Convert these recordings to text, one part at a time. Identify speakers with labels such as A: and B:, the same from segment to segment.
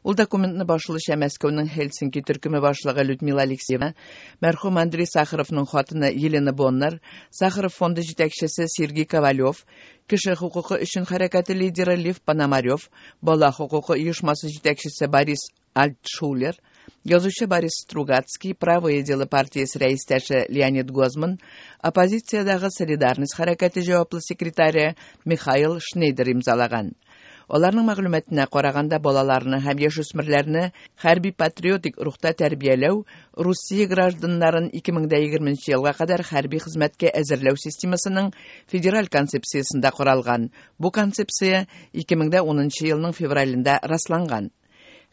A: Ул документны башлыча Мәскәүнең Хельсинки төркеме башлыгы Людмила Алексеева, мәрхүм Андрей Сахаровның хатыны Елена Боннер, Сахаров фонды җитәкчесе Сергей Ковалев, кеше хокукы өчен хәрәкәте лидеры Лев Пономарев, бала хокукы оешмасы җитәкчесе Борис Альтшулер, язучы Борис Стругацкий, Правое дело партиясе рәистәше Леонид Гозман, оппозициядәге Солидарность хәрәкәте җаваплы секретаре Михаил Шнейдер имзалаган. Аларның мәгълүматына караганда, балаларны һәм яшүсмерләрне хәрби-патриотик рухта тәрбияләү Русия гражданнарын 2020 елга кадәр хәрби хезмәткә әзерләү системасының федераль концепциясендә каралган. Бу концепция 2010 елның февралендә расланган.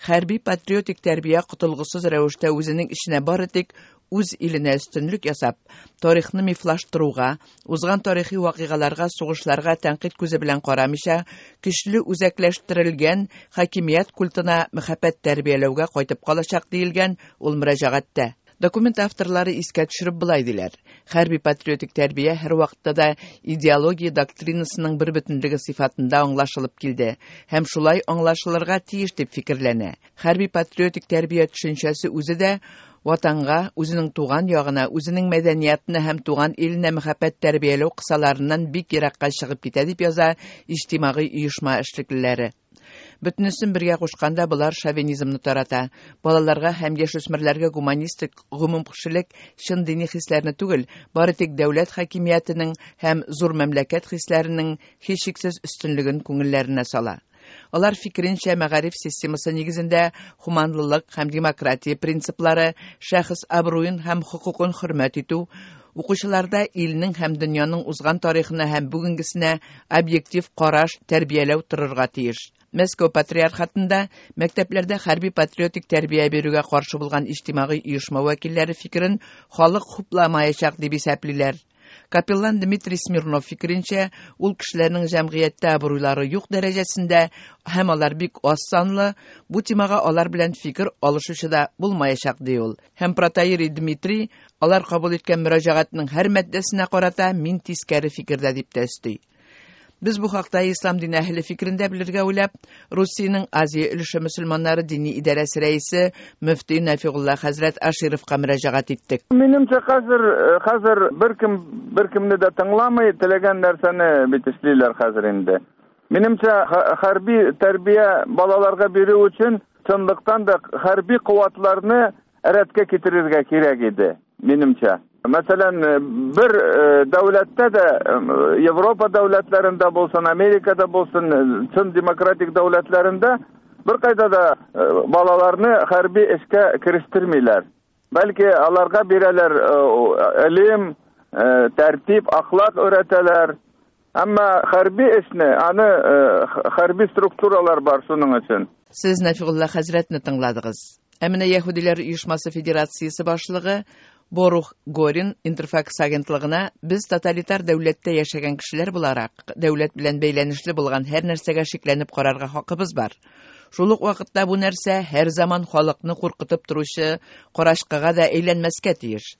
A: Хәрби-патриотик тәрбия котылгысыз рәвештә үзенең эченә бары тик үз иленә өстенлек ясап, тарихны мифлаштыруга, узган тарихи вакыйгаларга, сугышларга тәнкыйть күзе белән карамыйча, көчле үзәкләштерелгән хакимият культына мәхәббәт тәрбияләүгә кайтып калачак диелгән ул мөрәҗәгатьтә. Документ авторлары искә төшереп болай диләр: хәрби патриотик тәрбия һәрвакытта да идеология доктринасының бер бөтенлеге сыйфатында аңлашылып килде һәм шулай аңлашылырга тиеш дип фикерләнә. Хәрби патриотик тәрбия төшенчәсе үзе дә ватанга, үзенең туган ягына, үзенең мәдәниятына һәм туган иленә мәхәббәт тәрбияләү кысаларыннан бик еракка чыгып китә дип яза иҗтимагый оешма эшлеклеләре. Бөтенесен бергә кушканда болар шовинизмны тарата. Балаларга һәм яшүсмерләргә гуманистик, гомумкешелек, чын дини хисләрне түгел, бары тик дәүләт хакимиятенең һәм зур мәмләкәт хисләренең һичшиксез өстенлеген күңелләренә сала. Алар фикеренчә, мәгариф системасы нигезендә хуманлылык һәм демократия принциплары, шәхес абруен һәм хокукын хөрмәт итү, укучыларда илнең һәм дөньяның узган тарихына һәм бүгенгесенә объектив караш тәрбияләү торырга тиеш. Мәскәү патриархатында мәктәпләрдә хәрби патриотик тәрбия бирүгә каршы булган иҗтимагый оешма вәкилләре фикерен халык хупламаячак дип исәплиләр. Капеллан Дмитрий Смирнов фикеренчә, ул кешеләрнең җәмгыятьтә абруйлары юк дәрәҗәсендә һәм алар бик аз санлы, бу темага алар белән фикер алышучы да булмаячак ди ул. Һәм протоиерей Дмитрий алар кабул иткән мөрәҗәгатьнең һәр маддәсенә карата мин тискәре фикердә дип тә өсти. Без бу хакта ислам дине әһеле фикерен дә белергә уйлап, Русиянең Азия өлеше мөселманнары дини идарәсе рәисе мөфти Нәфигулла хәзрәт Ашировка мөрәҗәгать иттек.
B: Минемчә, хәзер беркем беркемне дә тыңламый, теләгән нәрсәне бит эшлиләр хәзер инде. Минемчә, хәрби тәрбия балаларга бирү өчен чынлыктан да хәрби куәтләрне рәткә китерергә кирәк иде, минемчә. Мәсәлән, бер дәүләттә дә, Европа дәүләтләрендә булсын, Америкада булсын, чын демократик дәүләтләрендә бер кайда да балаларны хәрби эшкә керештермиләр. Бәлки аларга бирәләр илем, тәртип, ахлак өйрәтәләр. Әмма хәрби эшне, аны хәрби структуралар бар шуның өчен.
A: Сез Нәфигулла хәзрәтне тыңладыгыз. Ә менә Яһүдиләр оешмасы федерациясе башлыгы Борух Горин Интерфакс агентлыгына без тоталитар дәүләттә яшәгән кешеләр буларак, дәүләт белән бәйләнешле булган һәр нәрсәгә шикләнеп карарга хакыбыз бар. Шул ук вакытта бу нәрсә һәр заман халыкны куркытып торучы карачкыга да әйләнмәскә тиеш.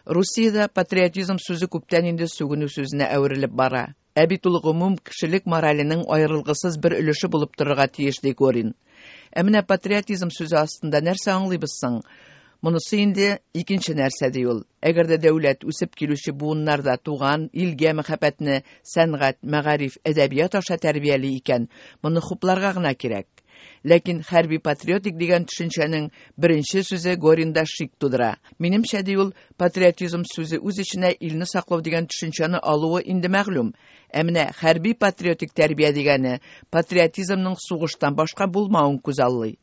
A: Русиядә патриотизм сүзе күптән инде сүгенү сүзенә әверелеп бара. Ә бит ул гомум кешелек мораленең аерылгысыз бер өлеше булып торырга тиеш, ди Горин. Ә менә патриотизм сүзе астында нәрсә аңлыйбыз соң? Монысы инде икенче нәрсә, ди ул. Әгәр дә дәүләт үсеп килүче буыннарда туган илгә мәхәббәтне сәнгать, мәгариф, әдәбият аша тәрбияли икән, моны хупларга гына кирәк. Ләкин хәрби патриотик дигән төшенчәнең беренче сүзе Горинда шик тудыра. Минемчә, ди ул, патриотизм сүзе үз эченә илне саклау дигән төшенчәне алуы инде мәгълүм. Ә менә хәрби патриотик тәрбия дигәне патриотизмның сугыштан башка булмавын күзаллый.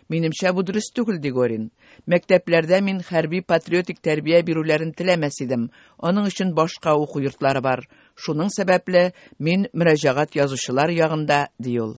A: Минемчә, бу дөрес түгел, ди Горин. Мәктәпләрдә мин хәрби патриотик тәрбия бирүләрен теләмәс идем. Аның өчен башка уку йортлары бар. Шуның сәбәпле мин мөрәҗәгать язучылар ягында, ди ул.